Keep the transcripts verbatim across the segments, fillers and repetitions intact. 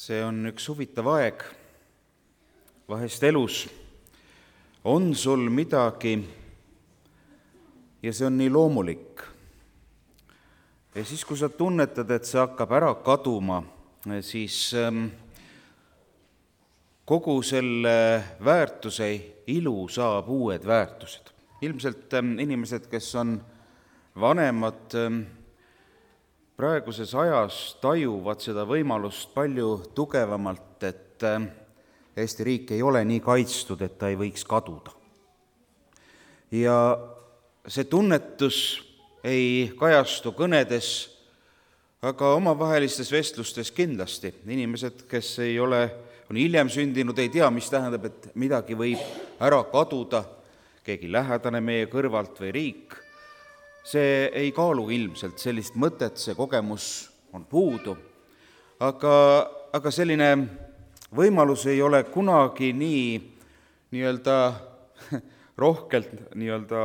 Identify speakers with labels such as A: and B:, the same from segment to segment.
A: See on üks huvitav aeg. Vahest elus on sul midagi ja see on nii loomulik. Ja siis, kui sa tunnetad, et see hakkab ära kaduma, siis kogu selle väärtuse ilu saab uued väärtused. Ilmselt inimesed, kes on vanemad, praeguses ajas tajuvad seda võimalust palju tugevamalt, et Eesti riik ei ole nii kaitstud, et ta ei võiks kaduda. Ja see tunnetus ei kajastu kõnedes, aga omavahelistes vestlustes kindlasti. Inimesed, kes ei ole, on hiljem sündinud, ei tea, mis tähendab, et midagi võib ära kaduda, keegi lähedane meie kõrvalt või riik. See ei kaalu ilmselt sellist mõtet, see kogemus on puudu, aga, aga selline võimalus ei ole kunagi nii nii-öelda rohkelt nii-öelda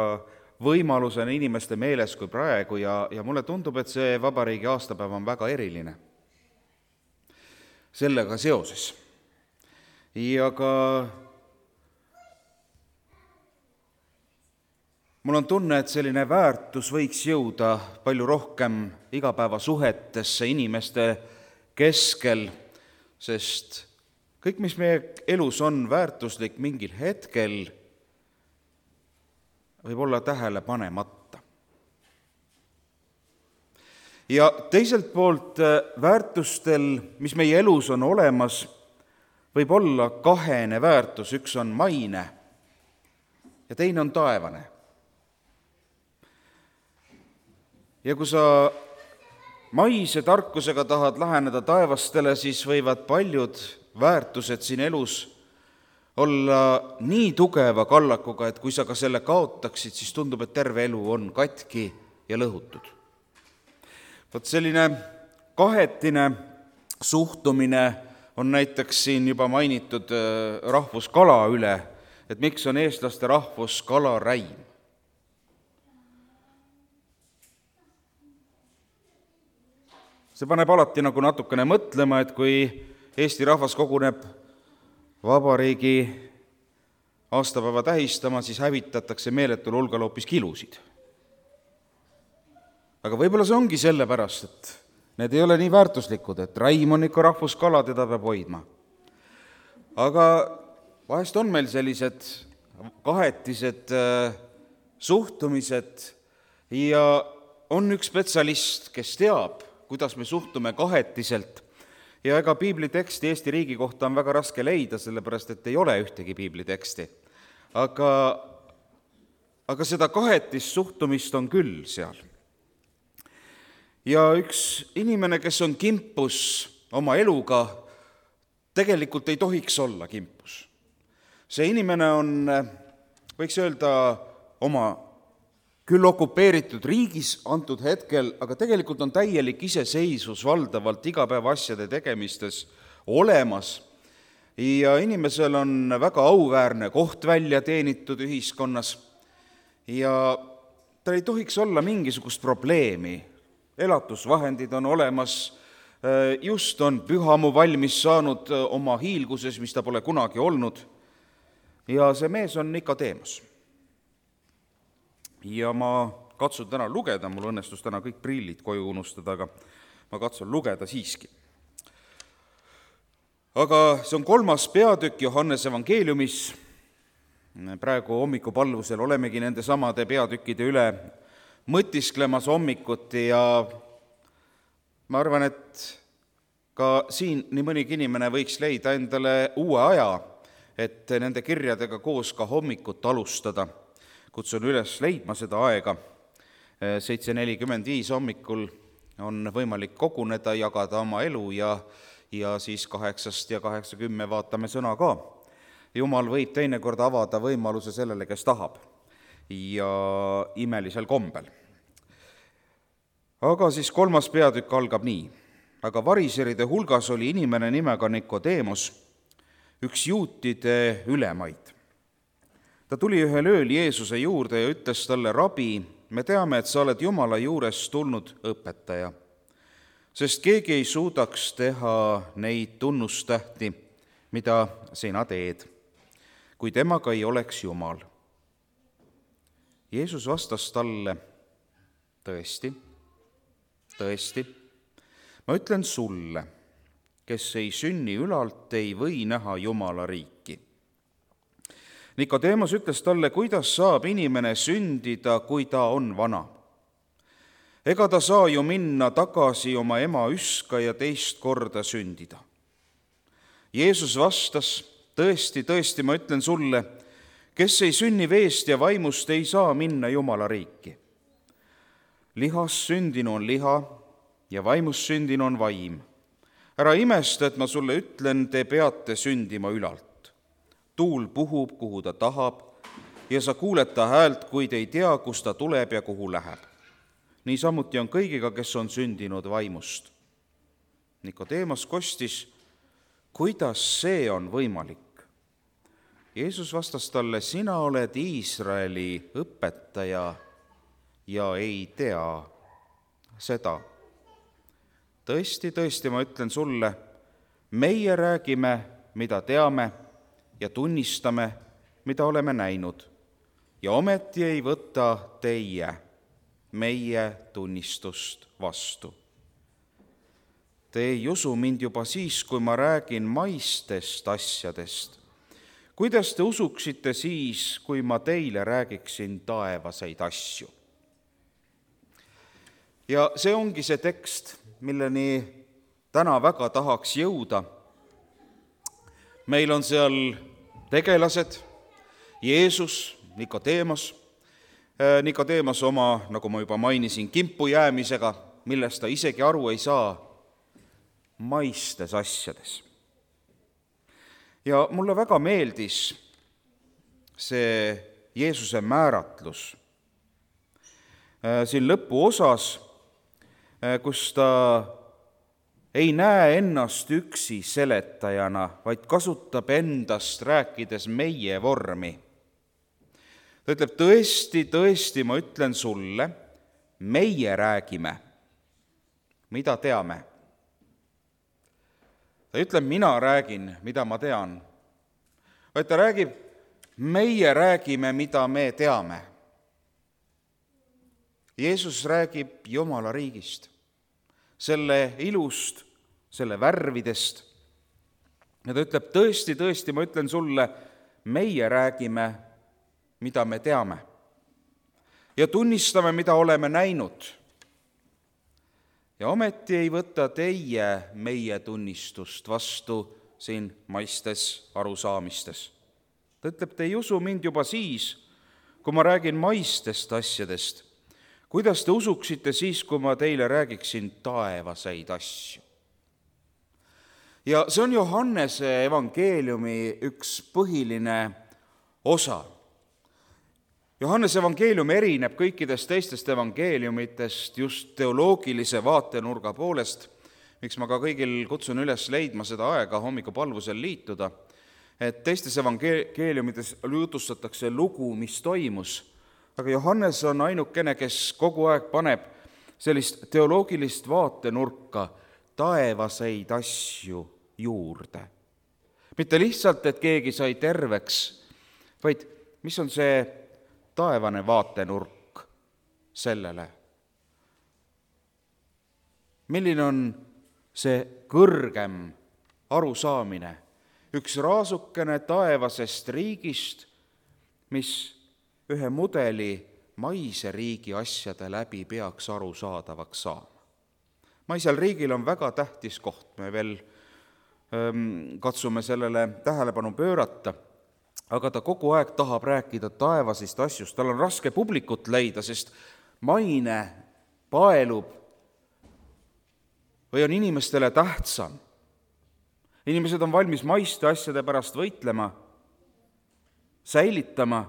A: võimalusena inimeste meeles kui praegu ja, ja mulle tundub, et see vabariigi aastapäev on väga eriline sellega seoses. Ja ka mul on tunne, et selline väärtus võiks jõuda palju rohkem igapäevasuhetesse inimeste keskel, sest kõik, mis meie elus on väärtuslik mingil hetkel, võib olla tähele panemata. Ja teiselt poolt väärtustel, mis meie elus on olemas, võib olla kahene väärtus, üks on maine ja teine on taevane. Ja kui sa maise tarkusega tahad läheneda taevastele, siis võivad paljud väärtused siin elus olla nii tugeva kallakuga, et kui sa ka selle kaotaksid, siis tundub, et terve elu on katki ja lõhutud. Vot selline kahetine suhtumine on näiteks siin juba mainitud rahvuskala üle, et miks on eestlaste rahvuskala räim. See paneb alati nagu natukene mõtlema, et kui Eesti rahvas koguneb vabariigi aastapäeva tähistama, siis hävitatakse meeletul hulgal hoopis kilusid. Aga võib-olla see ongi sellepärast, et need ei ole nii väärtuslikud, et räim on ikka rahvuskala, teda peab hoidma. Aga vahest on meil sellised kahetised suhtumised ja on üks spetsialist, kes teab, kuidas me suhtume kahetiselt. Ja ega piibliteksti Eesti riigi kohta on väga raske leida, sellepärast et ei ole ühtegi piibliteksti. Aga, aga seda kahetist suhtumist on küll seal. Ja üks inimene, kes on kimpus oma eluga, tegelikult ei tohiks olla kimpus. See inimene on, võiks öelda, oma küll okupeeritud riigis antud hetkel, aga tegelikult on täielik iseseisvus valdavalt igapäeva asjade tegemistes olemas. Ja inimesel on väga auväärne koht välja teenitud ühiskonnas ja ta ei tohiks olla mingisugust probleemi. Elatusvahendid on olemas, just on pühamu valmis saanud oma hiilguses, mis ta pole kunagi olnud. Ja see mees on Nikodeemos. Ja ma katsun täna lugeda, mul õnnestus täna kõik prillid koju unustada, aga ma katsun lugeda siiski. Aga see on kolmas peatükk Johannese evangeeliumis. Praegu hommikupalvusel olemegi nende samade peatükkide üle mõtisklemas hommikuti ja ma arvan, et ka siin nii mõnigi inimene võiks leida endale uue aja, et nende kirjadega koos ka hommikut alustada. Kutsun üles leidma seda aega. seitse nelikümmend viis hommikul on võimalik koguneda, jagada oma elu ja, ja siis kaheksast ja kaheksakümme vaatame sõna ka. Jumal võib teinekord avada võimaluse sellele, kes tahab ja imelisel kombel. Aga siis kolmas peatükk algab nii. Aga variseride hulgas oli inimene nimega Nikodeemos, üks juutide ülemaid. Ta tuli ühel ööl Jeesuse juurde ja ütles talle, rabi, me teame, et sa oled Jumala juurest tulnud õpetaja. sest keegi ei suudaks teha neid tunnustähti, mida sina teed, kui temaga ei oleks Jumal. Jeesus vastas talle, tõesti, tõesti, ma ütlen sulle, kes ei sünni ülalt, ei või näha Jumala riiki. Nikodeemos ütles talle, kuidas saab inimene sündida, kui ta on vana? Ega ta saa ju minna tagasi oma ema üska ja teist korda sündida. Jeesus vastas, tõesti, tõesti, ma ütlen sulle, kes ei sünni veest ja vaimust, ei saa minna Jumala riiki. Lihas sündinu on liha ja vaimust sündinu on vaim. Ära imesta, et ma sulle ütlen, te peate sündima ülalt. Tuul puhub, kuhu ta tahab, ja sa kuuled ta häält, kuid ei tea, kus ta tuleb ja kuhu läheb. Niisamuti on kõigiga, kes on sündinud vaimust. Nikodeemos kostis, kuidas see on võimalik? Jeesus vastas talle, sina oled Iisraeli õpetaja ja ei tea seda. Tõesti, tõesti, ma ütlen sulle, meie räägime, mida teame, ja tunnistame, mida oleme näinud, ja ometi ei võta teie meie tunnistust vastu. Te ei usu mind juba siis, kui ma räägin maistest asjadest. Kuidas te usuksite siis, kui ma teile räägiksin taevaseid asju? Ja see ongi see tekst, milleni täna väga tahaks jõuda. Meil on seal tegelased, Jeesus, Nikodeemos, Nikodeemos oma, nagu ma juba mainisin, kimpu jäämisega, millest ta isegi aru ei saa, maistes asjades. Ja mulle väga meeldis see Jeesuse määratlus siin lõpuosas, kus ta ei näe ennast üksi seletajana, vaid kasutab endast rääkides meie vormi. Ta ütleb, tõesti, tõesti, ma ütlen sulle, meie räägime, mida teame. Ta ütleb, mina räägin, mida ma tean. Vaid ta räägib, meie räägime, mida me teame. Jeesus räägib Jumala riigist, selle ilust, selle värvidest. Ja ta ütleb, tõesti, tõesti, ma ütlen sulle, meie räägime, mida me teame. Ja tunnistame, mida oleme näinud. Ja ometi ei võta teie meie tunnistust vastu siin maistes arusaamistes. Ta ütleb, te ei usu mind juba siis, kui ma räägin maistest asjadest. Kuidas te usuksite siis, kui ma teile räägiksin taevaseid asju? Ja see on Johannese evangeeliumi üks põhiline osa. Johannese evangeelium erineb kõikidest teistest evangeeliumitest just teoloogilise vaatenurga poolest, miks ma ka kõigil kutsun üles leidma seda aega hommikupalvusel liituda, et teistes evangeeliumites jutustatakse lugu, mis toimus, aga Johannes on ainukene, kes kogu aeg paneb sellist teoloogilist vaatenurka taevaseid asju juurde. Mitte lihtsalt, et keegi sai terveks, vaid mis on see taevane vaatenurk sellele? Milline on see kõrgem arusaamine? Üks raasukene taevasest riigist, mis ühe mudeli maise riigi asjade läbi peaks arusaadavaks saama. Maisel riigil on väga tähtis koht, me veel ähm, katsume sellele tähelepanu pöörata, aga ta kogu aeg tahab rääkida taevasist asjust. Tal on raske publikut leida, sest maine paelub või on inimestele tähtsam. Inimesed on valmis maiste asjade pärast võitlema, säilitama,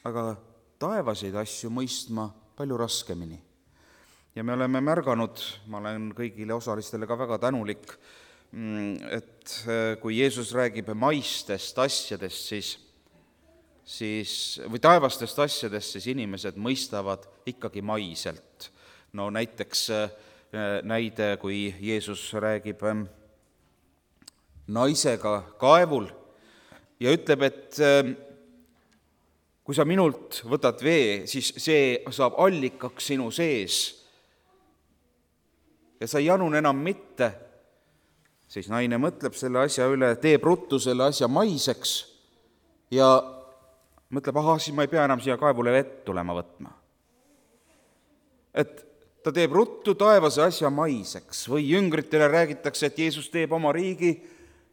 A: aga taevaseid asju mõistma palju raskemini. Ja me oleme märganud, ma olen kõigile osalistele ka väga tänulik, et kui Jeesus räägib maistest asjadest, siis, siis, või taevastest asjadest, siis inimesed mõistavad ikkagi maiselt. No näiteks näide, kui Jeesus räägib naisega kaevul ja ütleb, et kui sa minult võtad vee, siis see saab allikaks sinu sees ja sa ei janun enam mitte, siis naine mõtleb selle asja üle, teeb ruttu selle asja maiseks ja mõtleb, ahah, siis ma ei pea enam siia kaevule vett tulema võtma. Et ta teeb ruttu taevase asja maiseks või jüngritele räägitakse, et Jeesus teeb oma riigi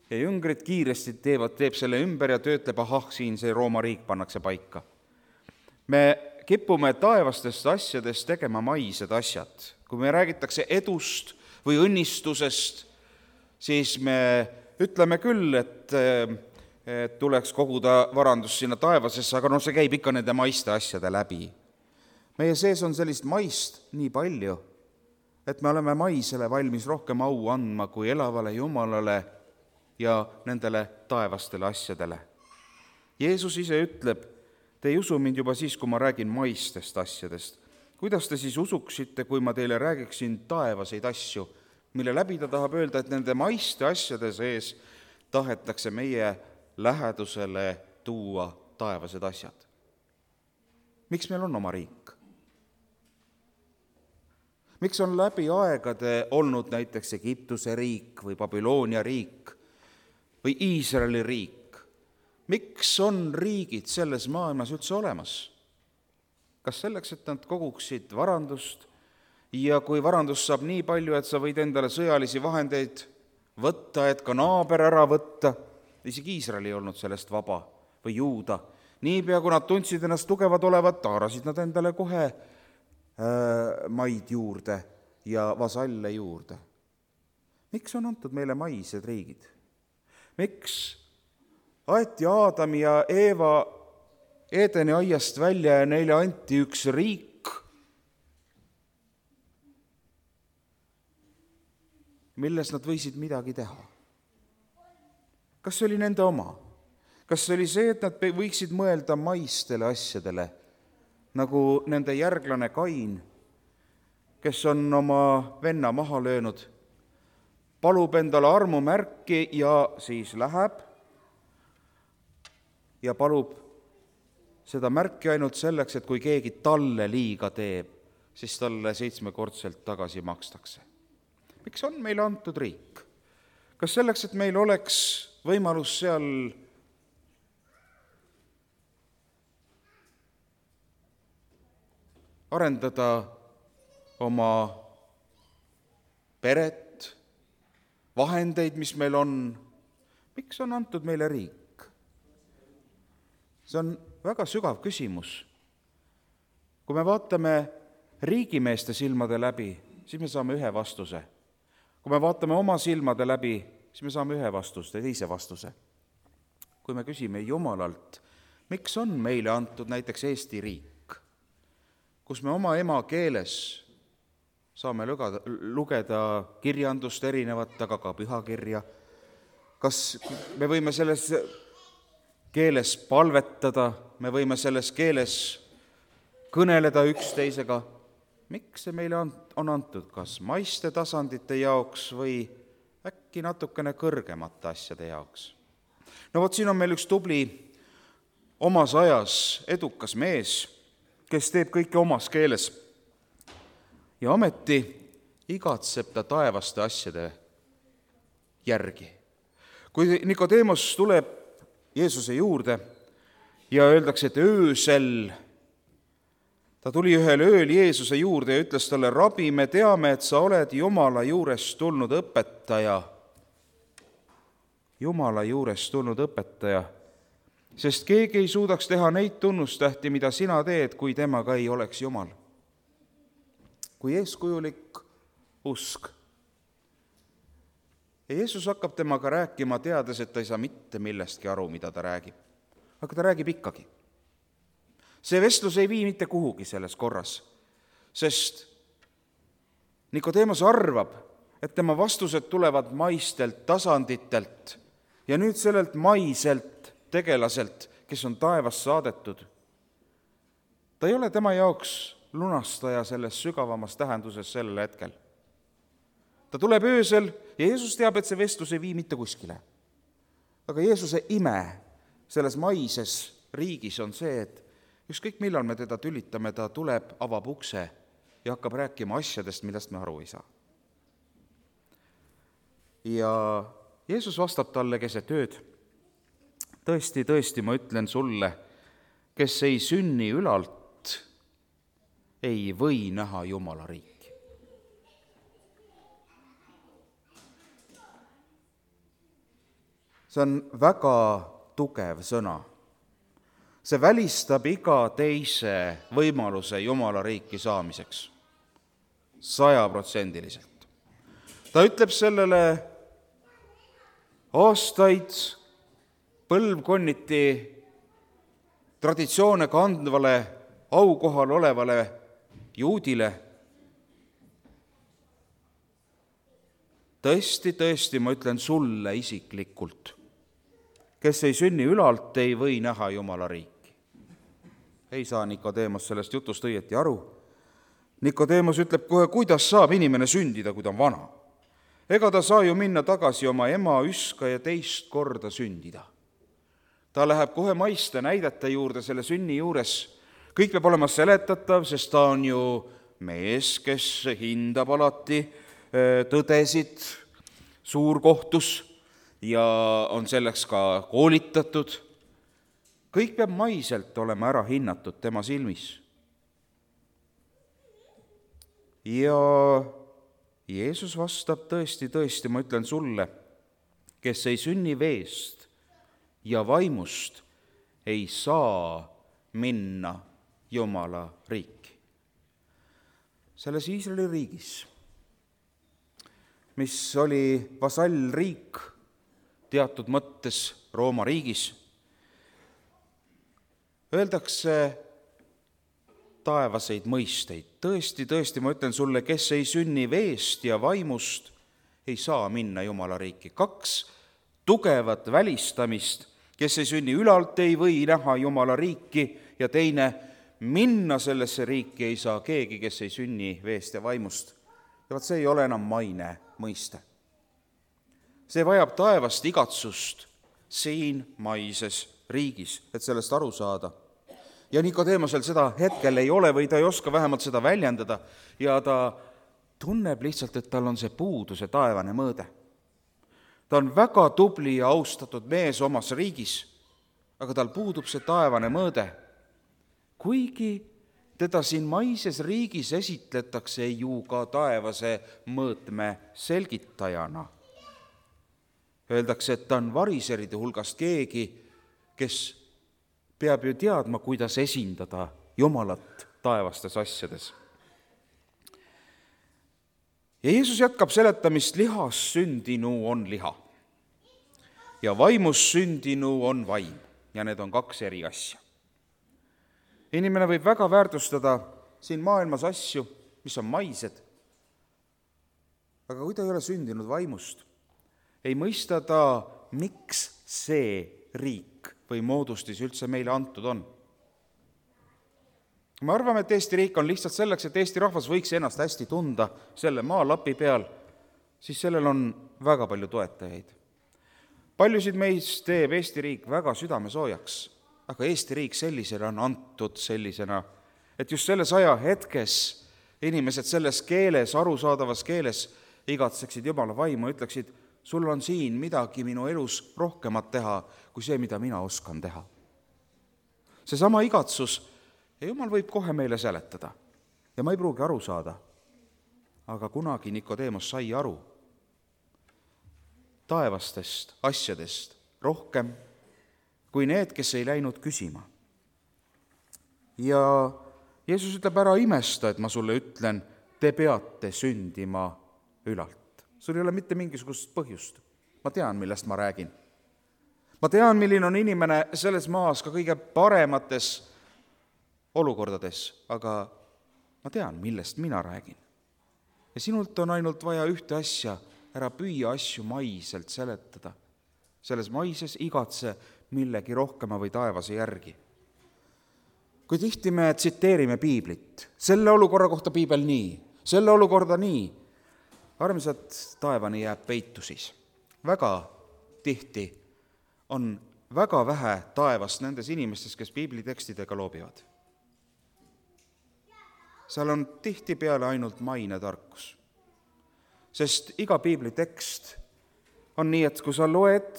A: ja jüngrid kiiresti teevad, teeb selle ümber ja töötleb, ahah, siin see Rooma riik pannakse paika. Me kipume taevastest asjadest tegema maised asjad. Kui me räägitakse edust või õnnistusest, siis me ütleme küll, et, et tuleks koguda varandus sinna taevasesse, aga no see käib ikka nende maiste asjade läbi. Meie sees on sellist maist nii palju, et me oleme maisele valmis rohkem au andma kui elavale Jumalale ja nendele taevastele asjadele. Jeesus ise ütleb, te ei usu mind juba siis, kui ma räägin maistest asjadest. Kuidas te siis usuksite, kui ma teile räägiksin taevaseid asju, mille läbi ta tahab öelda, et nende maiste asjade sees tahetakse meie lähedusele tuua taevased asjad? Miks meil on oma riik? Miks on läbi aegade olnud näiteks Egiptuse riik või Babyloonia riik või Iisraeli riik? Miks on riigid selles maailmas üldse olemas? Kas selleks, et nad koguksid varandust ja kui varandust saab nii palju, et sa võid endale sõjalisi vahendeid võtta, et ka naaber ära võtta, isegi Iisrael ei olnud sellest vaba või Juuda. Niipea, kui nad tundsid ennast tugevad olevat, taarasid nad endale kohe maid juurde ja vasalle juurde. Miks on antud meile maised riigid? Miks aeti Aadam ja Eeva Edeni aiast välja ja neile anti üks riik, milles nad võisid midagi teha? Kas see oli nende oma? Kas see oli see, et nad võiksid mõelda maistele asjadele, nagu nende järglane Kain, kes on oma venna maha löönud, palub endale armumärki ja siis läheb ja palub seda märki ainult selleks, et kui keegi talle liiga teeb, siis talle seitsmekordselt tagasi makstakse. Miks on meile antud riik? Kas selleks, et meil oleks võimalus seal arendada oma peret, vahendeid, mis meil on? Miks on antud meile riik? See on väga sügav küsimus. Kui me vaatame riigimeeste silmade läbi, siis me saame ühe vastuse. Kui me vaatame oma silmade läbi, siis me saame ühe vastuse, teise vastuse. Kui me küsime Jumalalt, miks on meile antud näiteks Eesti riik, kus me oma ema keeles saame lugeda, lugeda kirjandust erinevat, aga ka pühakirja. Kas me võime selles keeles palvetada, me võime selles keeles kõneleda üksteisega? Miks see meile on, on antud, kas maiste tasandite jaoks või äkki natukene kõrgemate asjade jaoks? No vot, siin on meil üks tubli omas ajas edukas mees, kes teeb kõike omas keeles ja ameti igatseb ta taevaste asjade järgi. Kui Nikodeemos tuleb Jeesuse juurde ja öeldakse, et öösel, ta tuli ühel ööl Jeesuse juurde ja ütles talle, rabi, me teame, et sa oled Jumala juurest tulnud õpetaja. Jumala juurest tulnud õpetaja, sest keegi ei suudaks teha neid tunnustähti, mida sina teed, kui temaga ei oleks Jumal. Kui eeskujulik usk. Ja Jeesus hakkab temaga rääkima, teades, et ta ei saa mitte millestki aru, mida ta räägib. Aga ta räägib ikkagi. See vestlus ei vii mitte kuhugi selles korras, sest Nikodeemos arvab, et tema vastused tulevad maistelt tasanditelt ja nüüd sellelt maiselt tegelaselt, kes on taevast saadetud. Ta ei ole tema jaoks lunastaja selles sügavamas tähenduses sellel hetkel. ta tuleb öösel ja Jeesus teab, et see vestlus ei vii mitte kuskile. Aga Jeesuse ime selles maises riigis on see, et ükskõik millal me teda tülitame, ta tuleb, avab ukse ja hakkab rääkima asjadest, millest me aru ei saa. Ja Jeesus vastab talle keset ööd: tõesti, tõesti, ma ütlen sulle, kes ei sünni ülalt, ei või näha Jumala riiki. See on väga tugev sõna. See välistab iga teise võimaluse Jumala riiki saamiseks. Sajaprotsendiliselt. Ta ütleb sellele aastaid põlvkonniti traditsioone kandvale, aukohal olevale juudile: tõesti, tõesti, ma ütlen sulle isiklikult, kes ei sünni ülalt, ei või näha Jumala riiki. Ei saa Nikodeemos sellest jutust õieti aru. Nikodeemos ütleb kohe, kuidas saab inimene sündida, kui ta on vana. Ega ta saa ju minna tagasi oma ema üska ja teist korda sündida. Ta läheb kohe maiste näidete juurde selle sünni juures. Kõik peab olema seletatav, sest ta on ju mees, kes hindab alati tõdesid suurkohtus ja on selleks ka koolitatud. Kõik peab maiselt olema ära hinnatud tema silmis. Ja Jeesus vastab: tõesti, tõesti, ma ütlen sulle, kes ei sünni veest ja vaimust, ei saa minna Jumala riiki. Selles Iisraeli riigis, mis oli vasallriik teatud mõttes Rooma riigis, öeldakse taevaseid mõisteid. Tõesti, tõesti, ma ütlen sulle, kes ei sünni veest ja vaimust, ei saa minna Jumala riiki. Kaks tugevat välistamist: kes ei sünni ülalt, ei või näha Jumala riiki, ja teine, minna sellesse riiki ei saa keegi, kes ei sünni veest ja vaimust. Ja vaat see ei ole enam maine mõiste. See vajab taevast igatsust siin maises riigis, et sellest aru saada. Ja Nikodeemosel seda hetkel ei ole või ta ei oska vähemalt seda väljendada ja ta tunneb lihtsalt, et tal on see puudu, see taevane mõõde. Ta on väga tubli ja austatud mees omas riigis, aga tal puudub see taevane mõõde. Kuigi teda siin maises riigis esitletakse ju ka taevase mõõtme selgitajana. Öeldakse, et ta on variseride hulgast keegi, kes peab ju teadma, kuidas esindada Jumalat taevastes asjades. Ja Jeesus jätkab seletamist: lihas sündinu on liha ja vaimus sündinu on vaim, ja need on kaks eri asja. Inimene võib väga väärtustada siin maailmas asju, mis on maised, aga kui ta ei ole sündinud vaimust, ei mõista ta, miks see riik või moodustis üldse meile antud on. Me arvame, et Eesti riik on lihtsalt selleks, et Eesti rahvas võiks ennast hästi tunda selle maalapi peal, siis sellel on väga palju toetajaid. Paljusid meist teeb Eesti riik väga südamesoojaks, aga Eesti riik sellisena on antud sellisena, et just selles aja hetkes inimesed selles keeles, arusaadavas keeles igatseksid Jumala vaimu, ütleksid: sul on siin midagi minu elus rohkemat teha, kui see, mida mina oskan teha. Seesama igatsus, ja Jumal võib kohe meile seletada ja ma ei pruugi aru saada, aga kunagi Nikodeemos sai aru taevastest asjadest rohkem kui need, kes ei läinud küsima. Ja Jeesus ütleb: ära imesta, et ma sulle ütlen, te peate sündima ülalt. Sul ei ole mitte mingisugust põhjust. Ma tean, millest ma räägin. Ma tean, milline on inimene selles maas ka kõige paremates olukordades, aga ma tean, millest mina räägin. Ja sinult on ainult vaja ühte asja: ära püüa asju maiselt seletada. Selles maises igatse millegi rohkema või taevase järgi. Kui tihti me tsiteerime piiblit, selle olukorra kohta piibel nii, selle olukorda nii, armsad, taevani jääb peitu siis. Väga tihti on väga vähe taevast nendes inimestes, kes piiblitekstidega loobivad. Seal on tihtipeale ainult mainetarkus. Sest iga piiblitekst on nii, et kui sa loed,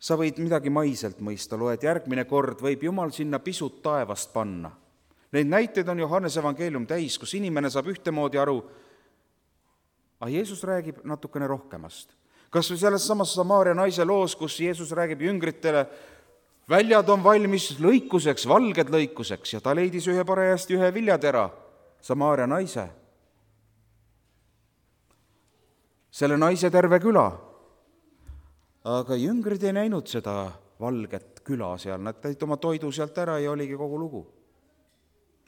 A: sa võid midagi maiselt mõista, loed järgmine kord, võib Jumal sinna pisut taevast panna. Neid näiteid on Johannese evangeelium täis, kus inimene saab ühtemoodi aru, aga Jeesus räägib natukene rohkemast. Kas või selles samas Samaaria naise loos, kus Jeesus räägib jüngritele, väljad on valmis lõikuseks, valged lõikuseks, ja ta leidis ühe parajasti ühe viljatera, Samaaria naise. Selle naise terve küla. Aga jüngrid ei näinud seda valget küla seal, nad tõid oma toidu sealt ära ja oligi kogu lugu.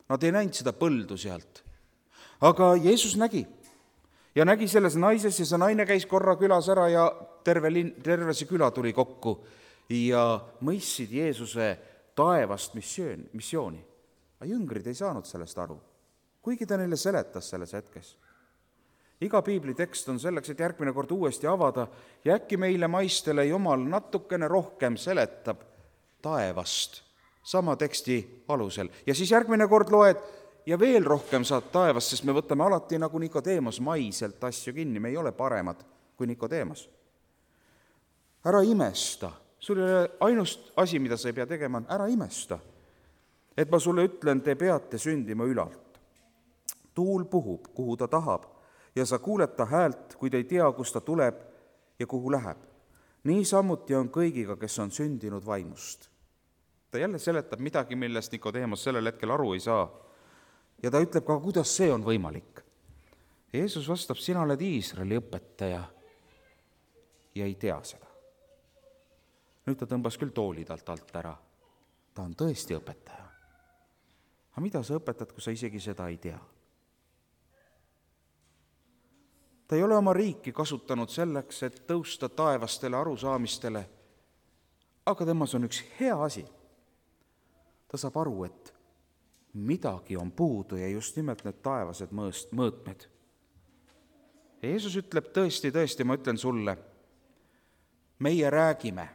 A: Nad ei näinud seda põldu sealt. Aga Jeesus nägi. Ja nägi selles naises ja see naine käis korra külas ära ja terve, lin, terve see küla tuli kokku ja mõistsid Jeesuse taevast missioon, missiooni. Aga jüngrid ei saanud sellest aru, kuigi ta neile seletas selles hetkes. Iga piiblitekst on selleks, et järgmine kord uuesti avada ja äkki meile maistele Jumal natukene rohkem seletab taevast sama teksti alusel. Ja siis järgmine kord loed ja veel rohkem saad taevast, sest me võtame alati nagu Nikodeemos maiselt asju kinni, me ei ole paremad kui Nikodeemos. Ära imesta, sul ei ole ainust asi, mida sa ei pea tegema, on ära imesta, et ma sulle ütlen, te peate sündima ülalt. Tuul puhub, kuhu ta tahab, ja sa kuuled ta häält, kui te ei tea, kus ta tuleb ja kuhu läheb. Nii samuti on kõigiga, kes on sündinud vaimust. Ta jälle seletab midagi, millest Nikodeemos sellel hetkel aru ei saa. Ja ta ütleb ka, kuidas see on võimalik. Jeesus vastab, sina oled Iisraeli õpetaja ja ei tea seda. Nüüd ta tõmbas küll tooli talt alt ära. Ta on tõesti õpetaja. Aga mida sa õpetad, kui sa isegi seda ei tea? Ta ei ole oma riiki kasutanud selleks, et tõusta taevastele arusaamistele, aga temas on üks hea asi. Ta saab aru, et midagi on puudu ja just nimelt need taevased mõõtmed. Jeesus ütleb tõesti, tõesti, ma ütlen sulle, meie räägime.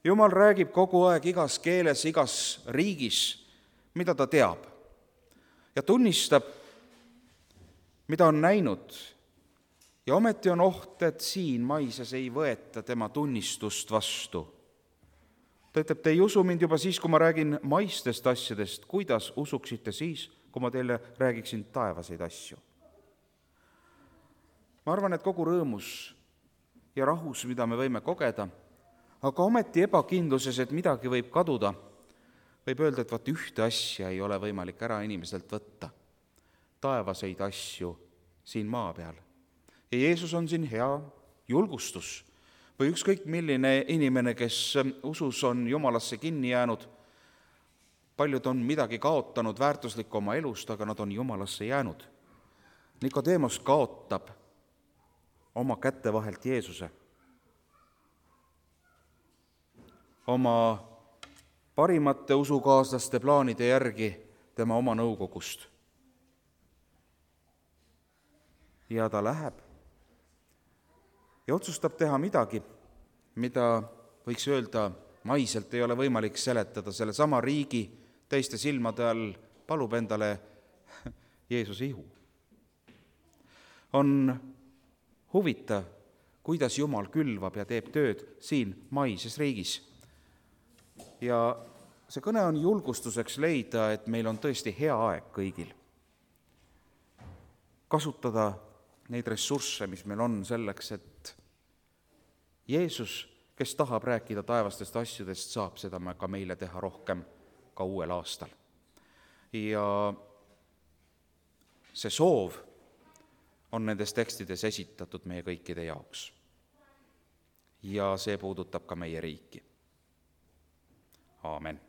A: Jumal räägib kogu aeg igas keeles, igas riigis, mida ta teab. Ja tunnistab, mida on näinud. Ja ometi on oht, et siin maises ei võeta tema tunnistust vastu. Ta ütleb, te ei usu mind juba siis, kui ma räägin maistest asjadest, kuidas usuksite siis, kui ma teile räägiksin taevaseid asju. Ma arvan, et kogu rõõmus ja rahus, mida me võime kogeda, aga ometi ebakindluses, et midagi võib kaduda, võib öelda, et vaat ühte asja ei ole võimalik ära inimeselt võtta. Taevaseid asju siin maa peal. Ja Jeesus on siin hea julgustus või ükskõik milline inimene, kes usus on Jumalasse kinni jäänud. Paljud on midagi kaotanud väärtuslikku oma elust, aga nad on Jumalasse jäänud. Nikodeemos kaotab oma kätte vahelt Jeesuse. Oma parimate usukaaslaste plaanide järgi tema oma nõukogust. Ja ta läheb ja otsustab teha midagi, mida võiks öelda maiselt ei ole võimalik seletada. Selle sama riigi teiste silmade all palub endale Jeesuse ihu. On huvitav, kuidas Jumal külvab ja teeb tööd siin maises riigis. Ja see kõne on julgustuseks leida, et meil on tõesti hea aeg kõigil. Kasutada neid ressursse, mis meil on selleks, et Jeesus, kes tahab rääkida taevastest asjadest, saab seda ka meile teha rohkem ka uuel aastal. Ja see soov on nendes tekstides esitatud meie kõikide jaoks. Ja see puudutab ka meie riiki. Aamen.